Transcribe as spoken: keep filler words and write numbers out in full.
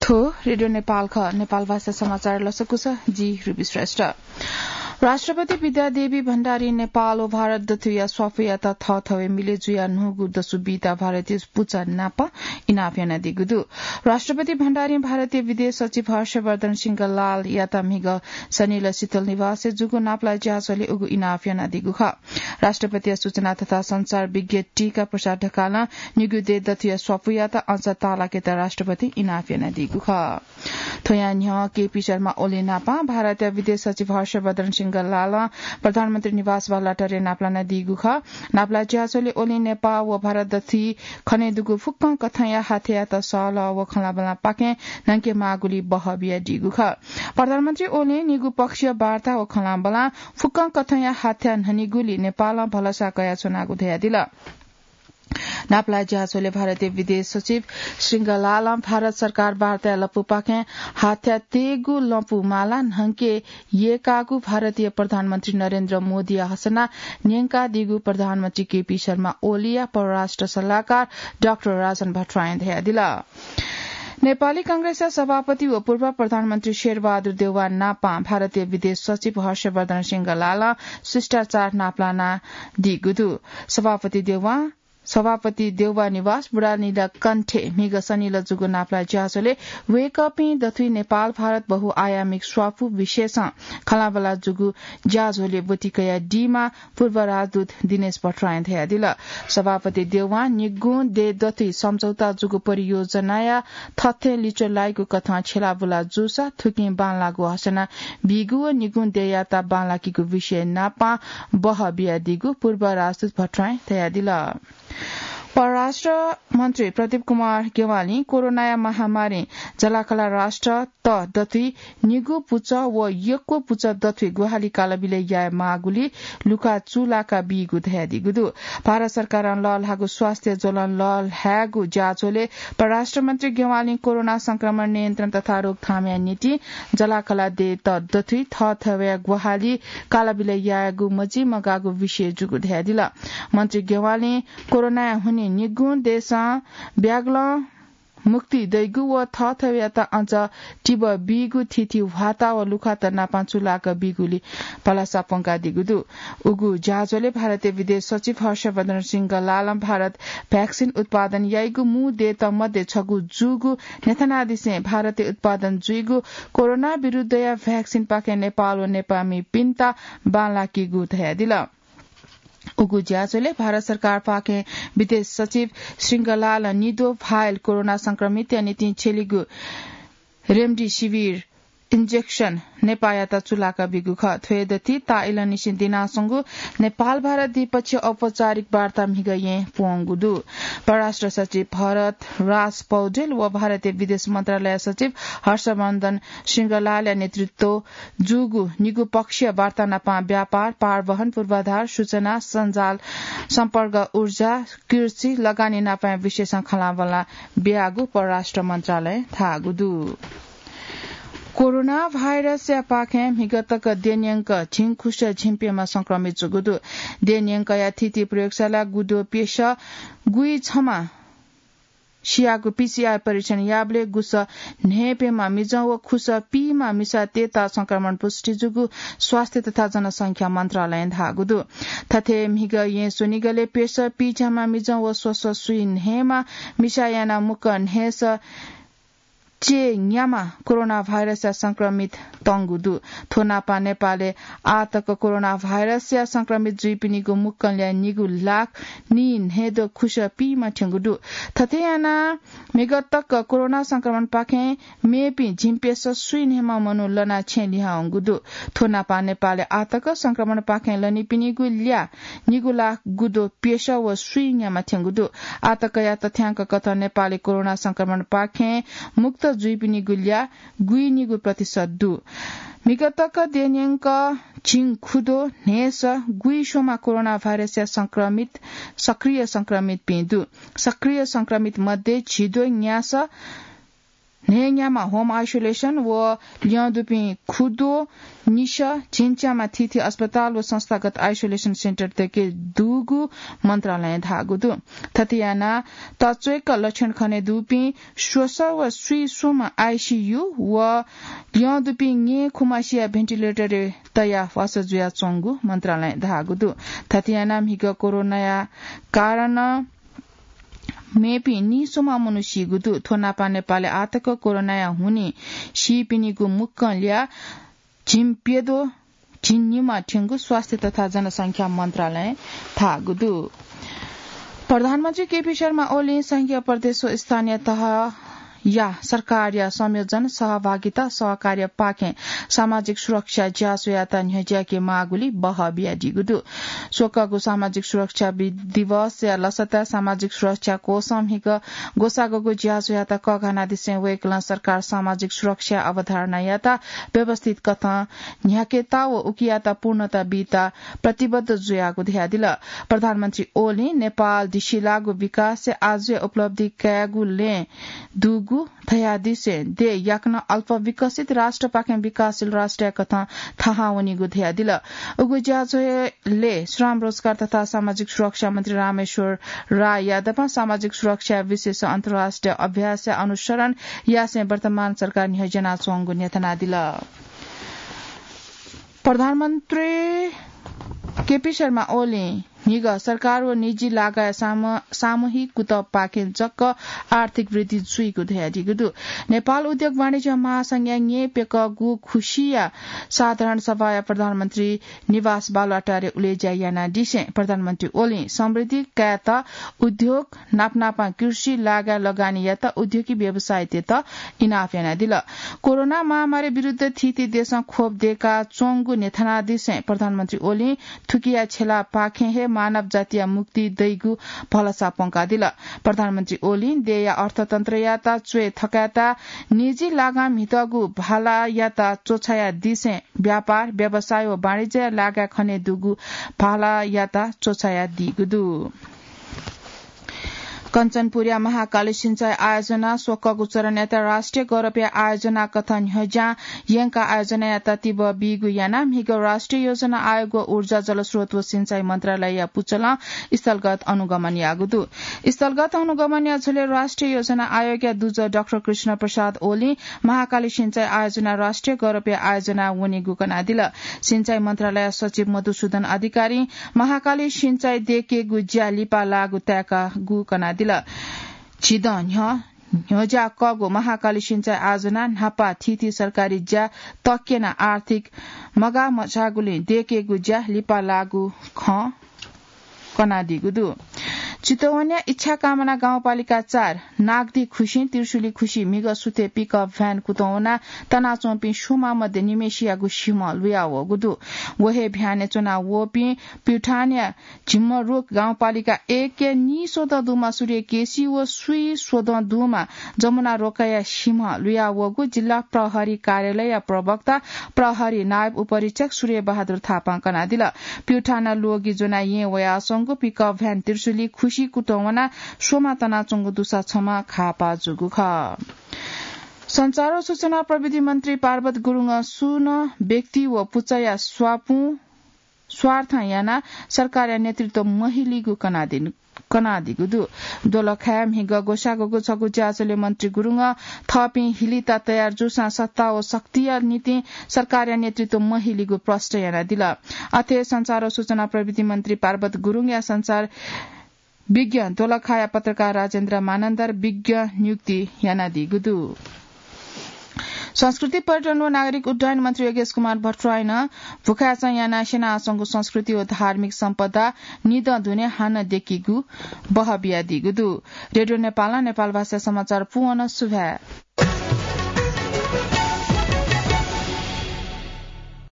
थ्व रेडियो नेपाल खः। नेपाल भाषा समाचार लसकुस, जि रुबी श्रेष्ठ। राष्ट्रपति विद्यादेवी भण्डारी नेपाल व भारत दथुया स्वाफुयात थःथवय् मिले जुया न्हूगु दसु बीता भारतीय पुचः नाप इनाप यानादीगु दु। राष्ट्रपति भण्डारी भारतीय विदेश सचिव हर्षवर्धन श्रृंगलालयात म्हिगः सनिल शीतल निवासय् जूगु नापलाये ज्याझ्वलय् उगु इनाप यानादीगु खः। राष्ट्रपतिया सूचना तथा संचार विज्ञ टीका प्रसाद ढकालं निगू देय् दथुया स्वाफुयात अचा तालाकेत राष्ट्रपति इनाप यानादीगु खः। थ्वयां न्ह्यः केपी शर्मा ओली नाप भारतया विदेश सचिव हर्षवर्धन श्रृंगलालं प्रधानमन्त्री निवास बालुवाटारय् नापलानादीगु खः। नापलाये ज्याझ्वलय् ओली नेपाल व भारत दथुइ खनेदुगु फुक्कं कथंया हाथ्यायात सहलह व खँल्हाबल्हापाखें न्हंके माःगुलिइ बहः बियादीगु खः। प्रधानमन्त्री ओलीं निगू पक्षीय वार्ता व खँल्हाबल्हां फुक्कं कथंया हाथ्या न्हनीगुलिइ नेपालं भलसा कयाच्वनागु धयादिल। नापलाये ज्याझ्वलय् भारतीय विदेश सचिव श्रृंगलालं भारत सरकार वार्ताया लँपुपाखें हाथ्या तयेगु लँपु माला न्हंके यय्कागु भारतीय प्रधानमन्त्री नरेन्द्र मोदीया हसना न्यंकादीगु प्रधानमन्त्री केपी शर्मा ओलीया परराष्ट्र सल्लाहकार डाक्टर राजन भट्टराईं धयादिल। नेपाली कांग्रेसया सभापति व पूर्व प्रधानमन्त्री शेरबहादुर देउवा नापं भारतीय विदेश सचिव हर्षवर्धन श्रृंगलालं शिष्टाचार नापलानादीगु दु। सभापति देउवा सभापति देउवा निवास बुढानीलकण्ठय् म्हिगः सनिल जूगु नापलाये ज्याझ्वलय् वय्कःपिं दथुइ नेपाल भारत बहुआयामिक स्वापू विषयसं खँल्हाबल्हा जूगु ज्याझ्वलय् ब्वति कयादीमा पूर्व राजदूत दिनेश भट्टराईं धयादिल। सभापति देउवां निगुं देय् दथुइ सम्झौता जूगु परियोजनाया थथें लिच्वः लाइगु कथं छ्यलाबुला जूसा थुकिं बांलाःगु हसना बीगु व निगुं देय्यात बांलाकीगु विषय नापं बहः बियादीगु पूर्व राजदूत भट्टराईं धयादिल। परराष्ट्र मन्त्री प्रदीप कुमार ज्ञवालीं कोरोनाया महामारीं जलाकला राष्ट्रत दथुइ निगू पुचः व यक्व पुचः दथुइ ग्वाहालि कालबिलय् याये माःगुलिइ लुखा चूलाका बीगु धयादीगु दु। भारत सरकारं लःल्हाःगु स्वास्थ्य ज्वलं लःल्हायेगु ज्याझ्वलय् परराष्ट्र मन्त्री ज्ञवालीं कोरोना संक्रमण नियन्त्रण तथा रोकथामया निंतिं जलाकला देय्त दथुइ थःथवय् ग्वाहालि कालबिलय् यायेगु मजिमगाःगु विषय जूगु धयादिल। मन्त्री ज्ञवालीं कोरोनाया हुनिं निगुं देशं ब्यागलं मुक्ति दइगु व थःथवयात अझ तिबः बीगु थीथी ह्वाता व लुखात नापं चूलाक बीगुलिइ भलसा प्वंकादीगु दु। उगु ज्याझ्वलय् भारतीय विदेश सचिव हर्षवर्धन श्रृंगलालं भारत भ्याक्सिन उत्पादन याइगु मू देय्त मध्ये छगू जूगु न्ह्यथनादिसें भारतय् उत्पादन जुइगु कोरोना विरुद्धया भ्याक्सिनपाखें नेपाल व नेपाःमिपिन्त बांलाकीगु धयादिल। उगु ज्याझ्वलय् भारत सरकारपाखें विदेश सचिव श्रृंगलालं निद्वः vial कोरोना संक्रमितया निंतिं छ्यलीगु रेमडेसिभिर injection नेपाःयात चूलाका बीगु खः। थ्व हे दथुइ ताःइलंनिसें दिनाच्वंगु नेपाल भारत द्विपक्षीय औपचारिक वार्ता म्हिगःयें प्वंगु दु। परराष्ट्र सचिव भरत राज पौडेल व भारतीय विदेश मन्त्रालय सचिव हर्षवर्धन श्रृंगलालया नेतृत्व जूगु निगू पक्षीय वार्ता नापं व्यापार, पारवहन, पूर्वाधार, सूचना, सञ्जाल, सम्पर्क, ऊर्जा, कृषि, लगानी नापंया विषयसं खँल्हाबल्हा बियागु परराष्ट्र मन्त्रालयं धाःगु दु। कोरोना भाइरसया पाखें म्हिगः तक देय् न्यंक झिंखुस झिंप्यम्ह संक्रमित जूगु दु। देय् न्यंकया थीथी प्रयोगशालाय् गुद्वः प्यसः गुइछम्ह सियागु पीसीआर परीक्षण याःबलय् गुसः न्हय्प्यम्ह मिजं व खुसः पीम्ह मिसातय्त संक्रमण पुष्टि जूगु स्वास्थ्य तथा जनसंख्या मन्त्रालयं धाःगु दु। थथे म्हिगः येँ स्वनिगलय् प्यसः पीज्याम्ह मिजं व स्वसः स्वीन्हय्म्ह मिसां यानाः मुक्कं न्हय्सः चय्न्याम्ह कोरोना भाइरसया संक्रमित तंगु दु। थ्व नापं नेपालय् आः तक कोरोना भाइरसया संक्रमित जुइपिनिगु मुक्कंलया निगू लाख नीन्हय्द्वः खुसः पीम्ह थ्यंगु दु। थथे यानाः म्हिगः तक कोरोना संक्रमणपाखें मेपिं झिंप्यसः स्वीन्हय्म्ह मनू लनाः छेँ लिहां वंगु दु। थ्व नापं नेपालय् आः तक संक्रमणपाखें लनीपिनिगु ल्याः निगू लाख गुद्वः प्यसः व स्वीन्याम्ह थ्यंगु दु। आः तकया तथ्यांक कथं नेपालय् कोरोना संक्रमणपाखें मुक्त जुइपिनिगु ल्याः गुइनिगू प्रतिशत दु। म्हिगः तक देय् न्यंक झिंखुद्वः न्हय्सः गुइस्वम्ह कोरोना भाइरसया संक्रमित, सक्रिय संक्रमितपिं दु। सक्रिय संक्रमित मध्ये झिद्वः न्यासः न्हय्‌न्याम्ह home isolation व ल्यं दुपिं खुद्वः निसः झिंच्याम्ह थीथी अस्पताल व संस्थागत isolation center दय्‌के दुगु मन्त्रालयं धाःगु दु। थथे यानाः तच्वय्‌क लक्षण खने दुपिं स्वसः व स्वीस्वम्ह ICU व ल्यं दुपिं ङ्येँ खुम्हसिया ventilator-य् तयाः ह्वःसा जुयाच्वंगु मन्त्रालयं धाःगु दु। थथे यानाः म्हिगः कोरोनाया कारणं मेपिं नीस्वम्ह मनू सीगु दु। थ्व नापं नेपालय् आःतक कोरोनाया हुनिं सीपिनिगु मुक्कं ल्याः झिंप्यद्वः झिंनिम्ह थ्यंगु स्वास्थ्य तथा जनसंख्या मन्त्रालयं धाःगु दु। प्रधानमन्त्री केपी शर्मा ओलीं संघीय प्रदेश व स्थानीय तहया सरकारया संयोजन, सहभागिता, सहकार्यपाखें सामाजिक सुरक्षा ज्याझ्वःयात न्ह्यज्याके माःगुलिं बहः बियादीगु दु। स्वकःगु सामाजिक सुरक्षा बि-, दिवसया लसताय् सामाजिक सुरक्षा कोषं म्हिगः ग्वसाःग्वःगु ज्याझ्वःयात कःघानादिसें वय्‌कलं सरकार सामाजिक सुरक्षा अवधारणायात व्यवस्थित कथं न्ह्याकेत व उकियात पूर्णता बीत प्रतिबद्ध जुयागु धयादिल। प्रधानमन्त्री ओलीं नेपाल दिसिलाःगु विकासय् आजुया उपलब्धि कायेगु लँय् दुगु धयादिसें देय् याकनं अल्प विकसित राष्ट्रपाखें विकासशील राष्ट्रया कथं थाहां वनीगु धयादिल। उगु ज्याझ्वलय् श्रम, रोजगार तथा सामाजिक सुरक्षा मन्त्री रामेश्वर राय यादवं सामाजिक सुरक्षा विषयस अन्तर्राष्ट्रिय अभ्यासया अनुसरण यासें वर्तमान सरकार न्ह्यज्यानाच्वंगु न्ह्यथनादिल। प्रधानमन्त्री केपी शर्मा ओलीं म्हिगः सरकार व निजी लागाया साम-, सामूहिक कुतःपाखें जक आर्थिक वृद्धि जुइगु धयादीगु दु। नेपाल उद्योग वाणिज्य महासंघया न्येप्यकःगु खुसीया साधारण सभाया प्रधानमन्त्री निवास बालुवाटारय् उलेज्या यानादिसें प्रधानमन्त्री ओलीं समृद्धि कायेत उद्योग, नापनापं कृषि, लागा लगानी यात उद्योगी व्यवसायीतय्‌त इनाप यानादिल। कोरोना महामारी विरुद्ध थीथी देशं खोप दय्‌काच्वंगु न्ह्यथनादिसें प्रधानमन्त्री ओलीं थुकिया छ्यलापाखें हे मानव जातिया मुक्ति दइगु भलसा प्वंकादिल। प्रधानमन्त्री ओलीं देय्‌या अर्थतन्त्रयात च्वय् थकायेत निजी लागां म्हितःगु भालायात च्वछायादिसें व्यापार, व्यवसाय व वाणिज्य लागाय् खने दुगु भालायात च्वछायादीगु दु। कञ्चनपुरया महाकाली सिँचाइ आयोजना स्वकःगु चरणयात राष्ट्रिय गौरवया आयोजना कथं न्ह्यज्यां यंकाः आयोजनायात तिबः बीगु यानाः म्हिगः राष्ट्रिय योजना आयोग व ऊर्जा, जलस्रोत व सिँचाइ मन्त्रालयया पुचलं स्थलगत अनुगमन याःगु दु। स्थलगत अनुगमनया झ्वलय् राष्ट्रिय योजना आयोगया दुजः डाक्टर कृष्ण प्रसाद ओलीं महाकाली सिँचाइ आयोजना राष्ट्रिय गौरवया आयोजना वनीगु कनादिल। सिँचाइ मन्त्रालय सचिव मधुसूदन अधिकारीं महाकाली सिँचाइ दय्‌केगु ज्या लिपा लाःगु ताय्‌कागु कनादिल। झिदँ न्ह्यः न्ह्यज्याकःगु महाकाली सिँचाइ आयोजना न्हापा थीथी सरकारी ज्या तक्यना आर्थिक मगाः मछाःगुलिं दय्‌केगु ज्या लिपा लाःगु खँ कनादीगु दु। चितवनया इच्छाकामना गाउँपालिका चार नागदी खुसिं त्रिशुली खुसि म्हिगः सुथय् पिकअप भ्यान कुतुं वनाः तनाच्वंपिं स्वम्ह मध्ये निम्हेसियागु सिम्ह लुयावःगु दु। व हे भ्यानय् च्वना वःपिं प्युठानया झिम्मरुख गाउँपालिका एकया नीस्वदँ दुम्ह सूर्य केसी व स्वीस्वदँ दुम्ह जमुना रोकाया सिम्ह लुयावःगु जिल्ला प्रहरी कार्यालयया प्रवक्ता प्रहरी नायब उपरीक्षक सूर्य बहादुर थापां कनादिल। प्युठानं ल्वगि ज्वनाः येँ वयाच्वंगु पिकअप भ्यान त्रिशुली खुसि कुतुं वनाः स्वम्ह तनाच्वंगु दुसा छम्ह घाःपाः जूगु खः। सञ्चार व सूचना प्रविधि मन्त्री पार्वत गुरुङं सुं नं व्यक्ति व पुचःया स्वापुं स्वार्थं यानाः सरकारया नेतृत्व महिलिगु कनादिन-, कनादीगु दु। दोलखाय् म्हिगः ग्वसाःग्वःगु छगू ज्याझ्वलय् मन्त्री गुरुङं थःपिं हिलिता तयार जूसां सत्ता व शक्तिया निंतिं सरकारया नेतृत्व महिलिगु प्रष्ट यानादिल। अथे सञ्चार व सूचना प्रविधि मन्त्री पार्वत गुरुङया सञ्चार विज्ञ दोलखाया पत्रकार राजेन्द्र मानन्धर विज्ञ नियुक्ति यानादीगु दु। संस्कृति, पर्यटन व नागरिक उड्डयन मन्त्री योगेश कुमार भट्टराईनं भुखाय्‌चं यानाः स्यनाच्वंगु संस्कृति व धार्मिक सम्पदा निदँ दुने हानं दय्‌केगु बहः बियादीगु दु। रेडियो नेपालं नेपाल भाषा समाचार पूवंनं सुभाय्।